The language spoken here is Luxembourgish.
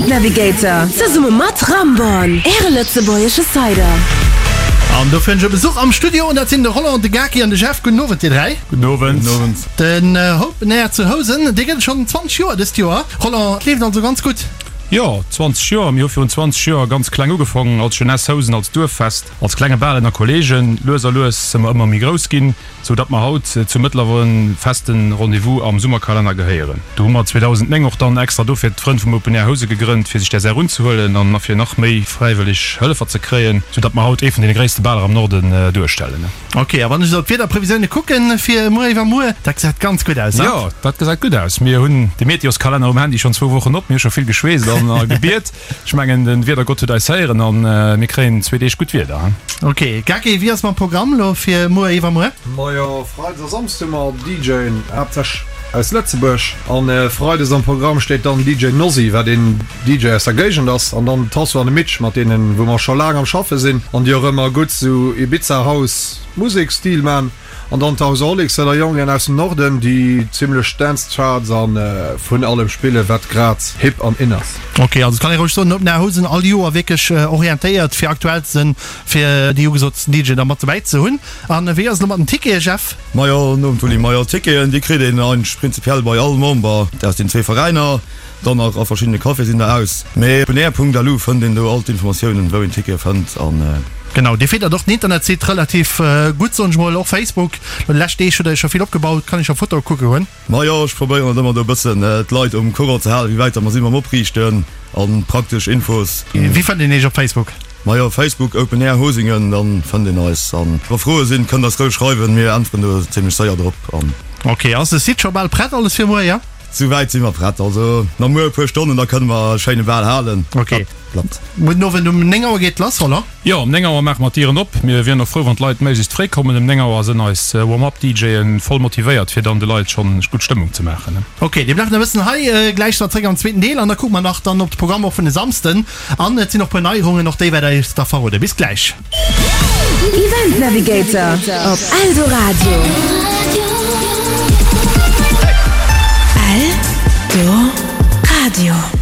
Event Navigator zesumme mat Ramborn, Äre lëtzebuergesche Cider. An dofir hunn ech e Besuch am Studio an dat sinn de Roland, de Gaki an de Jeff. Gudden Owend dir 3. Gudden Owend. Gudden Owend. Den Open Air zu Housen, dee gëtt et schonn 20 Joer dëst Joer. Roland, et leeft also ganz gutt. Jo, 20 Joer. Mir hu virun 20 Joer ganz kleng ugefongen als Jeunesse Housen, als Duerffest, als klenge Bal ënner Kollegen. Lues a lues si mer ëmmer méi grouss ginn, sou datt mer haut zum mëttlere feste Rendez-vous am Summerkalenner gehéieren. Do hu mer 2009 och dann extra dofir d'Frënn vum Open Air Housen gegrënnt, fir sech där Saach unzehuelen an fir nach méi fräiwëlleg Hëllefer ze kréien, sou datt mer haut ee vun deene gréisste Baler am Norden duerstellen. Ok, a wann ech esou op d'Wiederprevisioune kucken fir muer iwwermuer, dat gesäit ganz gutt aus, ne? Jo, dat gesäit gutt aus. Mir hunn de Meteoskalenner um Handy schonn zwou Wochen op. Mir hu scho vill geschweesst an a gebiet. Ech mengen, de Wiedergott huet eis héieren a mir kréien zwee Deeg gutt Wieder. Ok, Gaki, wéi ass mam Programm elo fir muer iwwermuer? Majo, Freides a Samsdes hu mer DJen, haaptsächlech aus Lëtzebuerg. An Freides am Programm steet dann DJ Nosy, wat een DJ aus der Géigend ass, an dann Tasso an de Mitch, mat deenen wou mer scho laang am schaffe sinn an déi och ëmmer gutt sou Ibiza House Musek Stil man. An dann d'Houseaholics, dat der Jongen aus dem Norden, déi zimlech Dance Charts an vun allem spillen wat grad hip an in ass. Ok, also et kann ee roueg soen, Open Air Housen all Joer wierklech orientéiert fir aktuell ze sinn, fir déi ugesotsten DJen da mat dobäi ze hunn. An wéi ass et elo mat den Ticketen, Jeff? Majo, nom Tuli, majo Ticketen déi kritt een eigentlech prinzipiell bei all Member aus den zwee Veräiner. Dann nach a verschiddene Caféë sinn der aus. Mee op openair.lu fënnt een do all d'Informatiounen, wou een Tickete fënnt an. Genau, dir fiddert och den Internetsite relativ gutt, soen ech mol, och Facebook. Lo déi lescht Deeg hutt der jo scho vill opgebaut, kann ech scho Fotoe kucke goen. Majo, ech probéieren et ëmmer do e bëssen d'Leit um Courant ze halen, wéi wäit der mer si mam Opriichten an praktesch Infos. Wéi fënnt een iech op Facebook? Majo, Facebook Open Air Hosingen, dann fënnt een eis. An wa Froe sinn, kënnt eis roueg schreiwen, mir äntweren do zimlech séier drop. An. Ok, ass de Site scho bal prett alles fir muer, jo? Souwäit si mer prett, also nach muer e puer Stonnen, da kënne mer e schéine Bal halen. Ok. Dat klappt. Muer den Owend um 9 Auer geet et lass, oder? Jo, um 9 Auer maache mer d'Dieren op. Mir wieren och frou, wann d'Leit méiglechst fréi kommen. Um 9 Auer sënn eis Warm-up-DJen voll motivéiert, fir dann de Leit schonn gutt Stëmmung ze maachen. Ok, dir bleift nach e bëssen hei. Gläich si mer zréck am zweeten Deel an da kucke mer nach dann op de Programm och vun e Samsden. An et sinn och puer Neierungen, och déi wäert der iech da verroden. Bis gläich. Event Navigator op Eldoradio. Eldoradio.